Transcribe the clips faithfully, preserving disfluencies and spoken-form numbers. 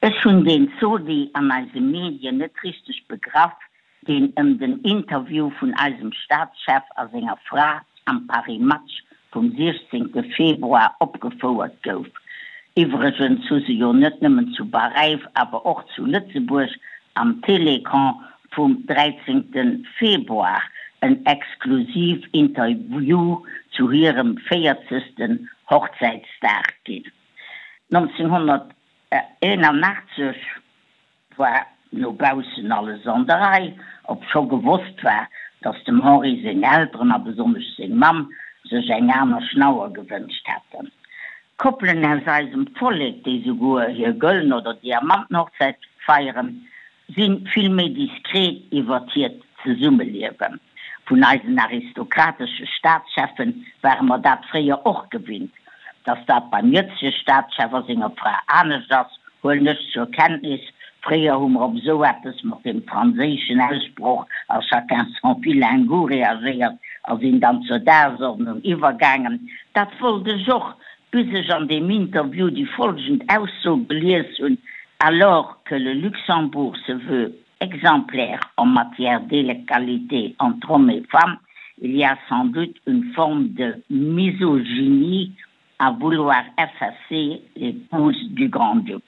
Ech hunn deen Zodi an eise Medien net richteg begraff, deen ëm den Interview vun eisem Staatschef a senger Fra am Paris Match vum siechzéngte Februar opgefouert gouf. Iwwregens hu se jo net nëmmen zu Paräis, awer och zu Lëtzebuerg am Télécran vum dräizéngte Februar en Exklusivinterview zu hirem véierzegsten Hochzäitsdag ginn. nonzénghonnerteenanachtzeg war no baussen alles an der Rei, obscho gewosst war, datt dem Henri seng Elteren a besonnesch seng Mamm sech eng aner Schnauer gewënscht hätten. Koppelen aus eisem Vollek, déi souguer hir gëllen oder Diamantenhochzäit feieren, si vill méi diskret iwwert hiert Zesummeliewen. Vun eisen aristokratesche Staatscheffe ware mer dat fréier och gewinnt. Dass dat beim jëtzege Staatschef a senger Fra anescht ass, huelen ech zur Kenntnis. Fréier hu mer op esou eppes mat dem franséischen Ausproch à chacun son vilain goût reagéiert a sinn dann zur Dagesordnung iwwergaangen. Dat wollt ech och, bis ech an deem Interview déi folgend Ausso gelies hunn, Alors que le Luxembourg se veut exemplaire en matière d'égalité entre hommes et femmes, il y a sans doute une forme de misogynie à vouloir effacer l'épouse du Grand-Duc.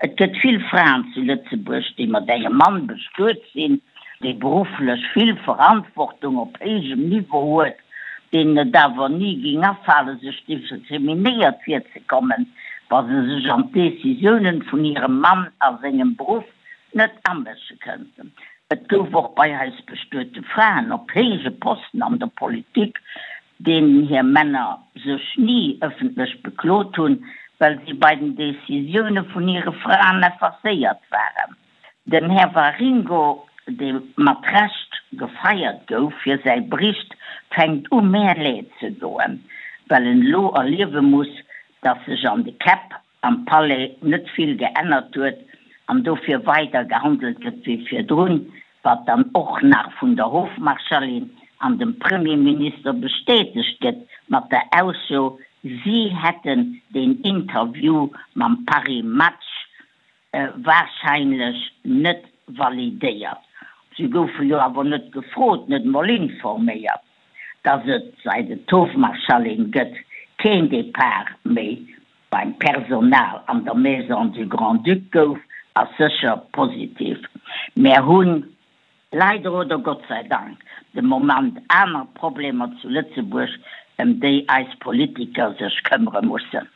Et gëtt vill Fraen zu Lëtzebuerg, déi mat engem Mann bestuet sinn, dee berufflech vill Verantwortung op héijem Niveau huet, deenen et awer ni géing afalen, sech diskriminéiert virzekommen, wa se sech an d'Decisiounen vun hirem Mann a sengem Beruff net amësche kënnten. Et gouf och bei eis bestuete Fraen op héije Posten an der Politik, deenen hir Männer sech ni ëffentlech beklot hunn, well si bei den Decisioune vun hire Fraen effacéiert waren. Den Här Waringo, dee mat Recht gefeiert gouf fir säi Bericht, fänkt u mär leed ze doen, well en elo erliewe muss, dass sech an de Käpp am Palais net vill geännert huet an dofir weider gehandelt gëtt wéi virdrun, wat dann och nach vun der Hofmarschallin an dem Premierminister bestätegt gëtt mat der Ausso, si hätten deen Interview mam Paris Match warscheinlech net validéiert. Si goufe jo awer net gefrot, net emol informéiert, dass et, säit et d'Hofmarschallin gëtt, keen Depart méi beim Personal an der Maison du Grand-Duc gouf, ass sécher positiv. Mär hunn, leider oder Gott sei Dank, de Moment aner Problemer zu Lëtzebuerg, ëm déi eis Politiker sech këmmere mussen.